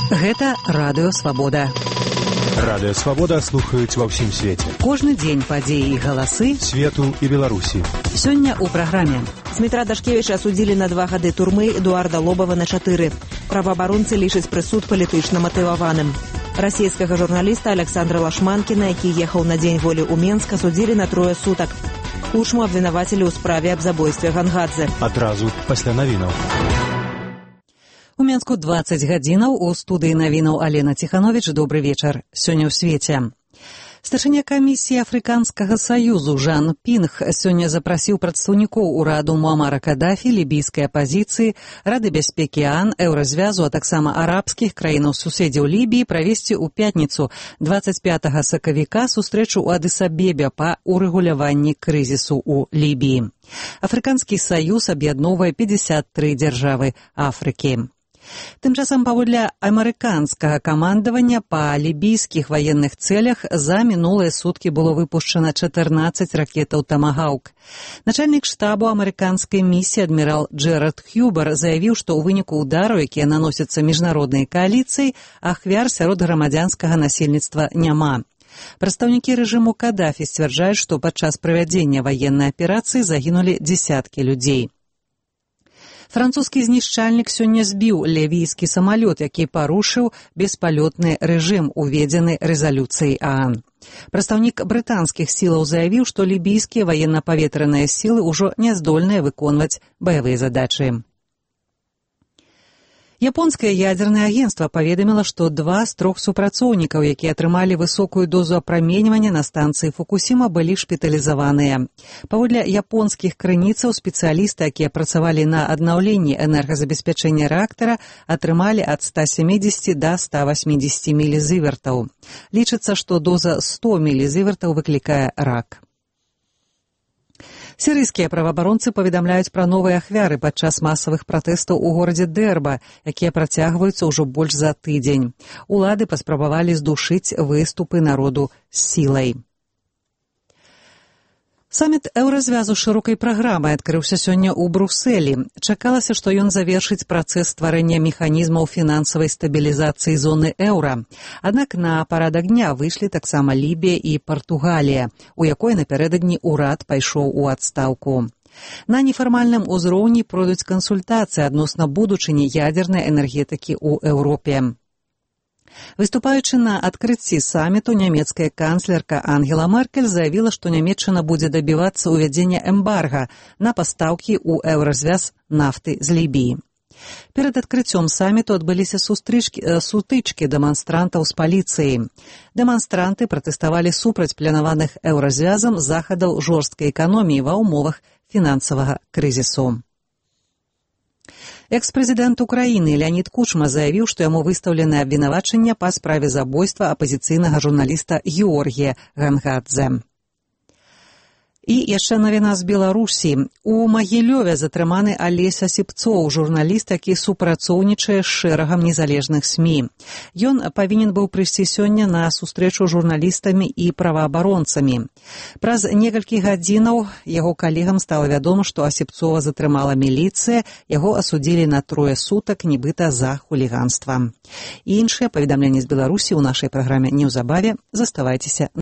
Гэта Радыё Свабода. Радыё Свабода слухаюць ва ўсім свеце. Кожны дзень падзеі і галасы свету і Беларусі. Сёння ў праграме. Дмітра Дашкевіча асудзілі на 2 гады турмы, Эдуарда Лобава на 4. Праваабаронцы лічаць прысуд палітычна матываваным. Расійскага журналіста Александра Лашманкіна, які ехаў на дзень волі ў Менск, асудзілі на 3 сутак. Кучму абвінавацілі ў справе аб забойстве Гангадзе. Адразу пасля навінаў. У Менску 20 гадзінаў, у студыі навінаў Алена Ціхановіч. Добры вечар. Сёння ў свеце. Старшыня камісіі Афрыканскага саюзу Жан Пінг сёння запрасіў прадстаўнікоў ураду Муамара Кадафі, лібійскай апазіцыі, Рады бяспекі ААН, Еўразвязу, а таксама арабскіх краінаў-суседзяў Лібіі правесці ў пятніцу 25 сакавіка сустрэчу ў Адыс-Абебе па урэгуляванні крызісу ў Лібіі. Афрыканскі саюз аб'ядноўвае 53 дзяржавы Афрыкі. Тым часам паводле амерыканскага камандавання па лібійскіх ваенных цэлях за мінулыя суткі было выпушчана 14 ракетаў «Тамагаўк». Начальнік штабу амерыканскай місіі адмірал Джэрад Хьюбар заявіў, што ў выніку ўдару, якія наносяцца міжнароднай кааліцыяй, ахвяр сярод грамадзянскага насельніцтва няма. Прадстаўнікі рэжыму Кадафі сцвярджаюць, што падчас правядзення ваеннай аперацыі загінулі дзесяткі людзей. Французскі знішчальнік сёння збіў лівійскі самалёт, які парушыў беспалётны рэжым, уведзены рэзалюцыяй ААН. Прадстаўнік брытанскіх сілаў заявіў, што лібійскія ваенна-паветраныя сілы ўжо не здольныя выконваць баявыя задачы. Японскае ядзернае агенцтва паведаміла, што 2 з 3 супрацоўнікаў, якія атрымалі высокую дозу апраменьвання на станцыі Фукусіма, былі шпіталізаваныя. Паводле японскіх крыніцаў, спецыялісты, якія працавалі на аднаўленні энергазабеспячэння рэактара, атрымалі ад 170 да 180 мілізівертаў. Лічыцца, што доза 100 мілізівертаў выклікае рак. Сірыйскія праваабаронцы паведамляюць пра новыя ахвяры падчас масавых пратэстаў у горадзе Дэрба, якія працягваюцца ўжо больш за тыдзень. Улады паспрабавалі здушыць выступы народу з сілай. Саміт Еўразвязу з шырокай праграмай адкрыўся сёння ў Брусэлі. Чакалася, што ён завершыць працэс стварэння механізмаў фінансавай стабілізацыі зоны еўра. Аднак на парадак дня выйшлі таксама Лібія і Партугалія, у якой напярэдадні ўрад пайшоў у адстаўку. На нефармальным узроўні пройдуць кансультацыі адносна будучыні ядзернай энергетыкі ў Еўропе. Выступаючы на адкрыцці саміту, нямецкая канцлерка Ангела Меркель заявіла, што Нямецчына будзе дабівацца ўвядзення эмбарга на пастаўкі ў Еўразвяз нафты з Лібіі. Перад адкрыццём саміту адбыліся сутычкі дэманстрантаў з паліцыяй. Дэманстранты пратэставалі супраць планаваных Еўразвязам захадаў жорсткай эканоміі ва ўмовах фінансавага крызісу. Экс-прэзідэнт Украіны Леонід Кучма заявіў, што яму выстаўлены абвінавачання па справе забойства апазіцыйнага журналіста Георгія Гангадзе. І яшчэ навіна з Беларусі. У Магілёве затрыманы Алесь Асіпцоў, журналіст, які супрацоўнічае з шэрагам незалежных СМІ. Ён павінен быў прыйсці сёння на сустрэчу з журналістамі і праваабаронцамі. Праз некалькі гадзінаў яго калегам стала вядома, што Асіпцова затрымала міліцыя, яго асудзілі на 3 сутак, нібыта за хуліганства. І іншыя паведамленні з Беларусі ў нашай праграме неўзабаве. Заставайцеся